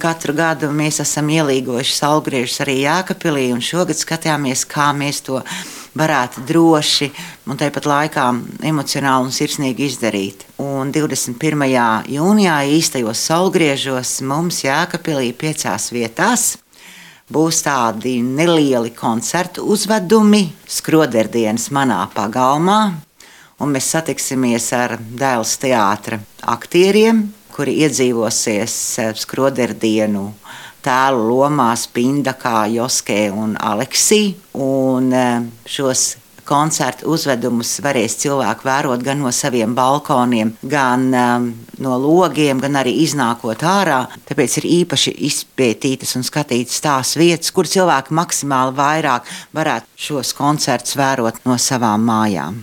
Katru gadu mēs esam ielīgojuši saulgriežus arī Jēkabpilī, un šogad skatījāmies, kā mēs to varētu droši un tāpat laikā emocionāli un sirsnīgi izdarīt. Un 21. jūnijā īstajos saulgriežos mums Jēkabpilī 5 vietās būs tādi nelieli koncertu uzvedumi, skroderdienas manā pagalmā, un mēs satiksimies ar Dēls teātra aktieriem, kuri iedzīvosies skroderdienu tēlu lomās Pindakā, Joskē un Aleksī. Un šos koncertu uzvedumus varēs cilvēki vērot gan no saviem balkoniem, gan no logiem, gan arī iznākot ārā. Tāpēc ir īpaši izpētītas un skatītas tās vietas, kur cilvēki maksimāli vairāk varētu šos koncertus vērot no savām mājām.